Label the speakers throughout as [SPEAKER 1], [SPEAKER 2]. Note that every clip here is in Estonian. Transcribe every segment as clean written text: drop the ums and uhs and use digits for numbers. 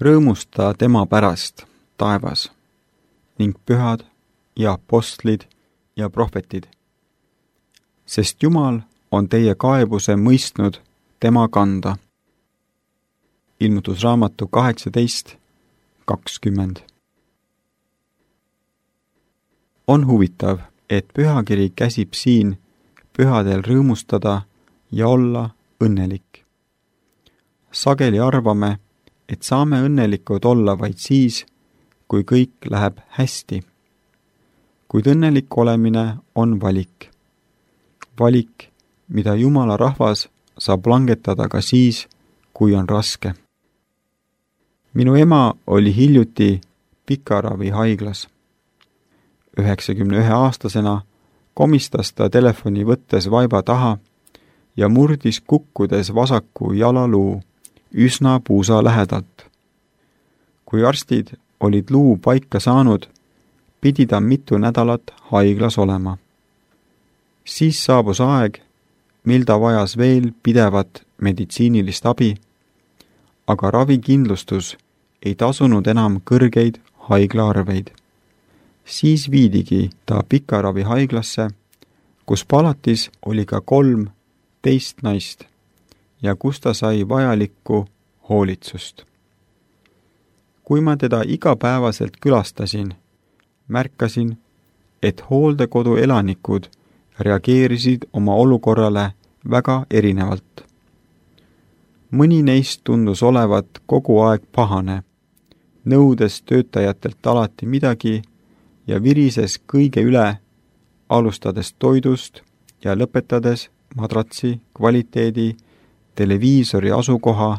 [SPEAKER 1] Rõõmusta tema pärast, taevas, ning pühad ja apostlid ja prohvetid, sest Jumal on teie kaebuse mõistnud tema kanda. Ilmutusraamatu 18:20. On huvitav, et pühakiri käsib siin pühadel rõõmustada ja olla õnnelik. Sageli arvame, et saame õnnelikud olla vaid siis, kui kõik läheb hästi. Kuid õnnelik olemine on valik. Valik, mida Jumala rahvas saab langetada ka siis, kui on raske. Minu ema oli hiljuti pikaravihaiglas. 91-aastasena komistas ta telefoni võttes vaiba taha ja murdis kukkudes vasaku jalaluu üsna puusa lähedalt. Kui arstid olid luu paika saanud, pidi ta mitu nädalat haiglas olema. Siis saabus aeg, mil ta vajas veel pidevat meditsiinilist abi, aga ravikindlustus ei tasunud enam kõrgeid haiglaarveid. Siis viidigi ta pikaravihaiglasse, kus palatis oli ka 3 teist naist ja kus ta sai vajalikku hoolitsust. Kui ma teda igapäevaselt külastasin, märkasin, et hooldekodu elanikud reageerisid oma olukorrale väga erinevalt. Mõni neist tundus olevat kogu aeg pahane, nõudes töötajatelt alati midagi ja virises kõige üle, alustades toidust ja lõpetades madratsi kvaliteedi, televiisori asukoha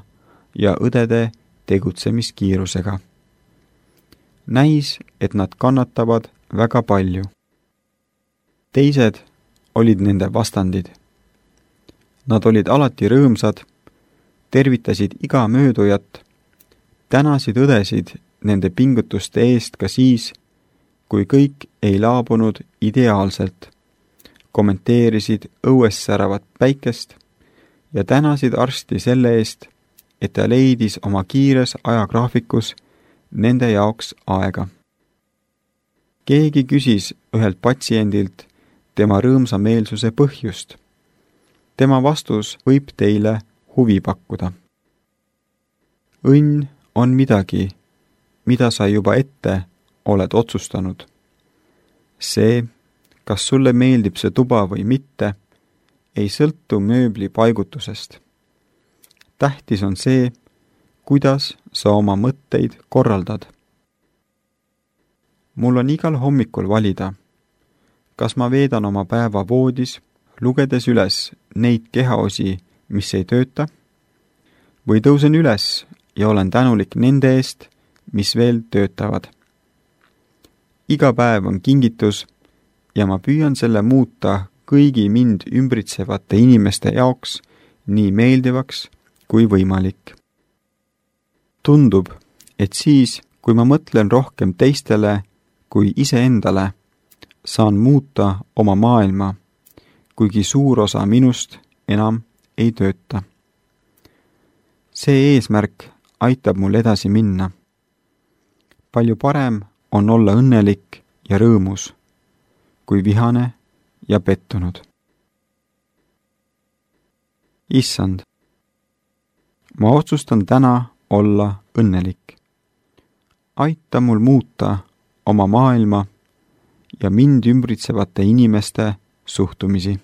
[SPEAKER 1] ja õdede tegutsemiskiirusega. Näis, et nad kannatavad väga palju. Teised olid nende vastandid. Nad olid alati rõõmsad, tervitasid iga möödujat, tänasid õdesid nende pingutuste eest ka siis, kui kõik ei laabunud ideaalselt, kommenteerisid õues säravat päikest ja tänasid arsti selle eest, et ta leidis oma kiires ajagraafikus nende jaoks aega. Keegi küsis ühelt patsiendilt tema rõõmsameelsuse põhjust. Tema vastus võib teile huvi pakkuda. Õnn on midagi, mida sa juba ette oled otsustanud. See, kas sulle meeldib see tuba või mitte, ei sõltu mööbli paigutusest. Tähtis on see, kuidas sa oma mõtteid korraldad. Mul on igal hommikul valida, kas ma veedan oma päeva voodis, lugedes üles neid kehaosi, mis ei tööta, või tõusen üles ja olen tänulik nende eest, mis veel töötavad. Iga päev on kingitus ja ma püüan selle muuta kõigi mind ümbritsevate inimeste jaoks nii meeldivaks kui võimalik. Tundub, et siis, kui ma mõtlen rohkem teistele kui iseendale, saan muuta oma maailma, kuigi suur osa minust enam ei tööta. See eesmärk aitab mul edasi minna. Palju parem on olla õnnelik ja rõõmus, kui vihane ja pettunud. Issand, ma otsustan täna olla õnnelik. Aita mul muuta oma maailma ja mind ümbritsevate inimeste suhtumisi.